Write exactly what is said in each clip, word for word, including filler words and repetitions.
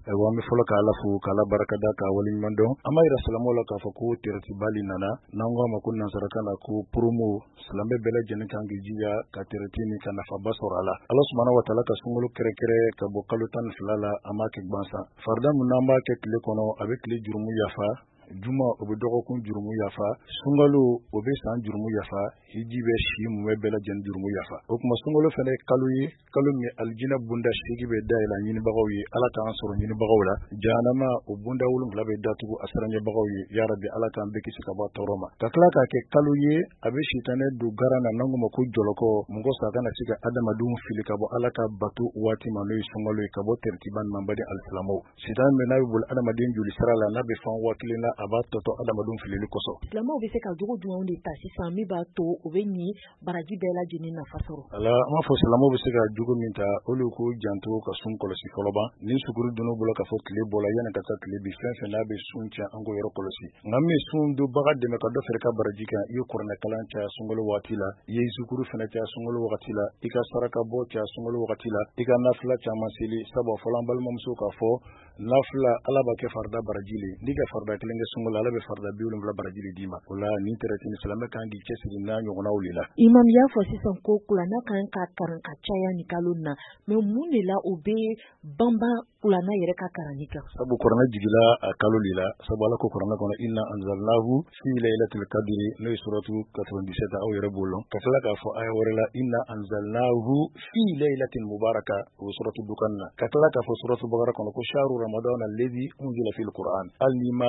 Ayiwa, an bɛ fɔlɔ ka Ala fo, k'Ala barikada, k'a waleɲuman dɔn. An b'a yira silamɛw la k'a fɔ ko tɛrɛtibali nana, n'an ko a ma ko nansarakan na ko promo. Silamɛ bɛɛ lajɛlen kan k'i jija ka tɛrɛti ni ka nafaba sɔrɔ a la. Ala subahana wa taala ka sunkalo kɛrɛkɛrɛ ka bɔ kalo tan ni fila la, an b'a kɛ gansan. Farida min n'an b'a kɛ tile kɔnɔ, a bɛ tile jurumu yafa. Juma, o bɛ dɔgɔkun jurumu yafa. Sunkalo, o bɛ san jurumu yafa. Hiji bɛ si mumɛ bɛɛ lajɛlen jurumu yafa. O tuma, sunkalo fana ye kalo ye, kalo min alijinɛ bonda seegin bɛ dayɛlɛ ɲinibagaw ye. Ala k'an sɔrɔ ɲinibagaw la. Jahanama, o bonda wolonwula bɛ datugu a siranɲɛbagaw ye. Yarabi, Ala k'an bɛɛ kisi ka bɔ a tɔɔrɔ ma. Ka tila k'a kɛ kalo ye, a bɛ sitanɛ don garan na, n'an ko ma ko jɔlɔkɔ, mɔgɔ sa kana se ka adamadenw fili ka bɔ Ala ka bato waati ma, n'o ye sunkalo ye, ka bɔ tɛrɛtiba nin ma. Baden alisilamɛw, sitanɛ min n'a bɛ boli adamaden joli sira la, n'a bɛ fan waa kelen na, a b'a tɔtɔ adamadenw filili kosɔn. Silamɛw bɛ se ka jogo jumɛnw de ta sisan min b'a to u bɛ nin baraji bɛɛ lajɛlen nafa sɔrɔ? Ala, an b'a fɔ silamɛw bɛ se ka jogo min ta, olu k'u janto ka sun kɔlɔsi fɔlɔba. Ni sukuru donn'u bolo k'a fɔ tile bɔla, yanni ka taa tile bi, fɛn fɛn n'a bɛ sun tiɲɛ, an k'o yɔrɔ kɔlɔsi. Nka min sun donbaga dɛmɛ ka dɔ fara i ka baraji kan, i ye kuranɛ kalan caya sunkalo waati la, i ye zukuru fana caya sunkalo wagati la, i ka saraka bɔ caya sunkalo wagati la, i ka nafila caman seli. Sabu a fɔla an balimamuso k'a fɔ nafila, Ala b'a kɛ farida baraji le. N'i ka farida kelen kɛ sunkalo, Ala bɛ farida bi wolonwula baraji le d'i ma. O la, nin tɛrɛti ni silamɛ kan k'i cɛsiri n'a ɲɔgɔnnaw le la. Imam y'a fɔ sisan ko kuranɛ kan ka karan ka caya nin kalo na, mais mun de la o bɛ banban kuranɛ yɛrɛ ka karanni kan? Sabu kuranɛ jigila a kalo le la. Sabu Ala ko kuranɛ kɔnɔ: "Inna anzalnahu fi laylatil qadri", n'o ye suratu quatre-vingt-dix-sept, aw yɛrɛ b'o lɔn. Ka tila k'a fɔ aya wɛrɛ la: "Inna anzalnahu fi laylatin mubaraka", o suratu Dukan na. Ka tila k'a fɔ suratu Bakara kɔnɔ ko shahru ramadan alladhi unzila fil Qur'an. Hali n'i ma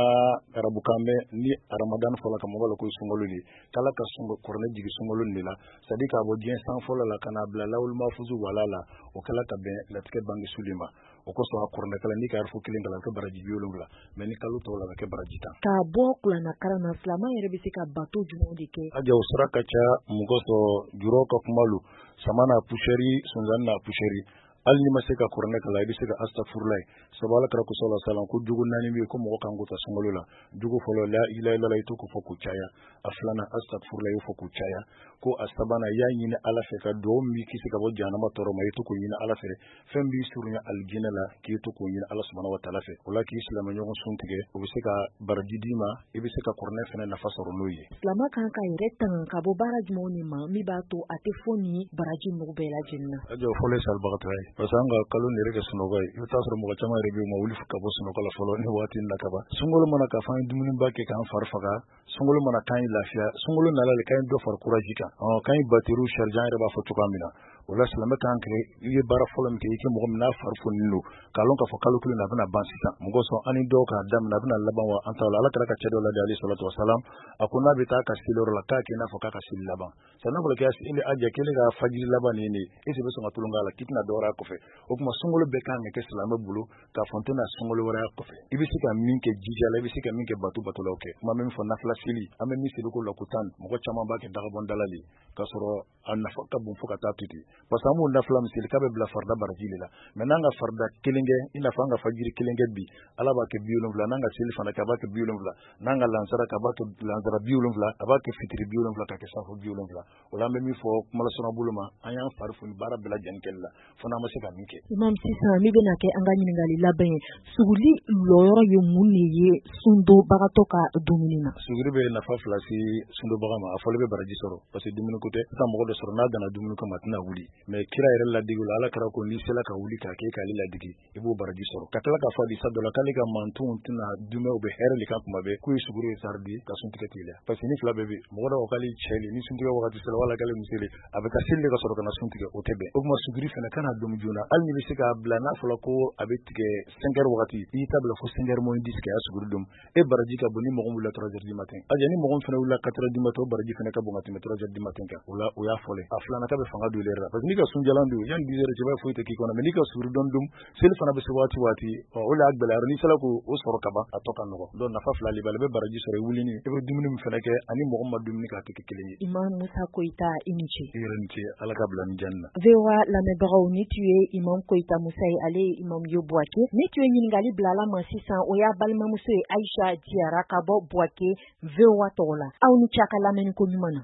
arabukan mɛn, ni Ramadan fɔla ka mɔgɔ la ko sunkalo de k'Ala ka kuranɛ jigi sunkalo de la, c'est à dire k'a bɔ diɲɛ san fɔlɔ la ka n'a bila lawul mafuzu wala la, o kɛla ka bɛn latigɛ bange suli ma. O kosɔn, a kuranɛ kalan, n'i ka arafu kelen kalan, a bɛ kɛ baraji bi wolonwula, mais ni kalo tɔw la, a bɛ kɛ baraji tan. K'a bɔ kuranɛ kalan na, silamɛ yɛrɛ bɛ se ka bato jumɛnw de kɛ? A o sira ka ca. Mɔgɔ sɔrɔ jurɔ ka kuma lo, sama n'a poussière, sunzan n'a poussière. Hali n'i ma se ka kuranɛ kalan, i bɛ se ka astafurulayi ye. Sabu Ala kɛra ko sɔrɔ salam ko jogo naani bɛ yen ko mɔgɔ kan k'o ta sunkalo la. Jogo fɔlɔ, la ilaha illallah, i to k'o fɔ k'o caya. A filanan, astafurulayi, i y'o fɔ k'o caya. Ko a sabanan, i y'a ɲini Ala fɛ ka dugawu min b'i kisi ka bɔ jahanama tɔɔrɔ ma, i to k'o ɲini Ala fɛ. Fɛn b'i surunya alijinɛ la, k'i to k'o ɲini Ala subahana wa taala fɛ. O la, k'i silamɛ ɲɔgɔn sun tigɛ, o bɛ se ka baraji d'i ma, i bɛ se ka kuranɛ fana nafa sɔrɔ n'o ye. Silamɛ kan ka yɛrɛ tanga ka bɔ baara jumɛnw de ma min b'a to a tɛ fɔ nin baraji ninnu bɛɛ lajɛlen na? A jɔ fɔlɔ ye salibagatɔ ye, parce que an ka kalo nin yɛrɛ kɛ sunɔgɔ ye. I bɛ taa sɔrɔ mɔgɔ caman yɛrɛ bɛ yen, u ma wuli ka bɔ sunɔgɔ la fɔlɔ ni waati in na kaban. Sunkalo mana k'a fɔ an ye dumuniba kɛ k'an fari faga, sunkalo mana k'an ye lafiya, sunkalo nana le k'an ye dɔ fara courage kan, k'an ye batterie charger, an yɛrɛ b'a fɔ cogoya min na. O la, silamɛ kan kɛ, i ye baara fɔlɔ min kɛ, i kɛ mɔgɔ min n'a fari foninen don, k'a lɔn k'a fɔ kalo kelen na, a bɛna ban sisan. Mɔgɔ sɔn an ni dɔw k'a daminɛ, a bɛna laban wa an t'a la. Ala kɛra ka cɛ dɔ ladi, alayhi salatu wasalam, a ko n'a bɛ taa ka seli yɔrɔ la, k'a kɛ i n'a fɔ k'a ka seli laban. Sa n'a fɔra k'i a jɛ kelen ka fajiri laban nin ye, e bɛ sɔn ka tulon k'a la k'i tɛna dɔ wɛrɛ kɔfɛ. O tuma, sunkalo bɛɛ kan ka kɛ silamɛ bolo k'a fɔ n tɛna sunkalo wɛrɛ kɔfɛ. I bɛ se ka min kɛ jija la, i bɛ se ka min kɛ bato bato la, o kɛ. Kuma min fɔ, nafila seli, an bɛ min seli ko la ko tan, mɔgɔ caman b'a kɛ dagabɔndala de, k'a sɔrɔ a nafa ka bon fo ka taa to ten, parce que an b'o nafila min seli k'a bɛ bila farida baraji de la. Mais n'an ka farida kelen kɛ, i n'a fɔ an ka fajiri kelen kɛ bi, Ala b'a kɛ bi wolonwula. N'an ka seli fana kɛ, a b'a kɛ bi wolonwula. N'an ka lansara kɛ, a b'a kɛ lansara bi wolonwula, a b'a kɛ fitiri bi wolonwula, ka kɛ safo bi wolonwula. O la, an bɛ min fɔ kumalasɔrɔ bolo ma, an y'an fari foni baara bɛɛ lajɛlen kɛli la fo n'an ma se ka min kɛ. Imam, sisan min bɛna kɛ an ka ɲininkali laban ye, suguli lɔyɔrɔ ye mun de ye sundonbagatɔ ka dumuni na? Suguri bɛ nafa fila se sundonbaga ma. A fɔlɔ, bɛ baraji sɔrɔ, parce que dumuni ko tɛ. Sisan mɔgɔ dɔ sɔrɔ n'a danna dumuni kama, a tɛna wuli. Mais kira yɛrɛ ladege la, Ala kɛra ko n'i sera ka wuli k'a kɛ k'ale ladege, i b'o baraji sɔrɔ. Ka tila k'a fɔ hadisa dɔ la k'ale ka mantonw tɛna dumɛ, u bɛ hɛrɛ de kan kuma bɛɛ, k'u ye suguri ye saridi ka suntigɛ teliya, parce que ni fila bɛɛ bɛ mɔgɔ dɔw k'ale cɛ le, ni suntigɛ wagati sera, wala k'ale muso le, a bɛ taa seli de ka sɔrɔ ka na sun tigɛ, o tɛ bɛn. O tuma, suguri fana kana domu joona. Hali n'i bɛ se k'a bila, n'a fɔra ko a bɛ tigɛ cinq heures wagati, i y'i ta bila fo cinq heures moins dix kɛ, a suguri domu, e baraji ka bon ni mɔgɔ min wulila trois heures du matin. A ni mɔgɔ min fana wulila quatre heures du matin, o baraji fana ka bon ka tɛmɛ trois heures du matin kan. O la, o y'a fɔlɔ. A filanan, k'a bɛ fanga don i yɛrɛ la, parce que n'i ka sunjalan don, yanni dix heures cɛ, i b'a foyi tɛ k'i kɔnɔ. Mais n'i ka suguri dɔɔni dun, seli fana bɛ se waati waati, o de y'a gɛlɛya. N'i sera k'o sɔrɔ ka ban, a tɔ ka nɔgɔ. Donc nafa fila de b'a la: i bɛ baraji sɔrɔ i wulini, i bɛ dumuni min fana kɛ, ani mɔgɔ min ma dumuni kɛ, a tɛ kɛ kelen ye. Imam Musa Koyita, i ni ce. I yɛrɛ ni ce, Ala ka bila ni janni na. V O A lamɛnbagaw, ni tun ye Imam Koyita Musa ye, ale ye imam ye Buwake. Ni tun ye ɲininkali bila ala ma sisan, o y'a balimamuso ye, Ayisa Jiyara ka bɔ Buwake, V O A tɔgɔ la. Aw ni ce a ka lamɛnni ko ɲuman na.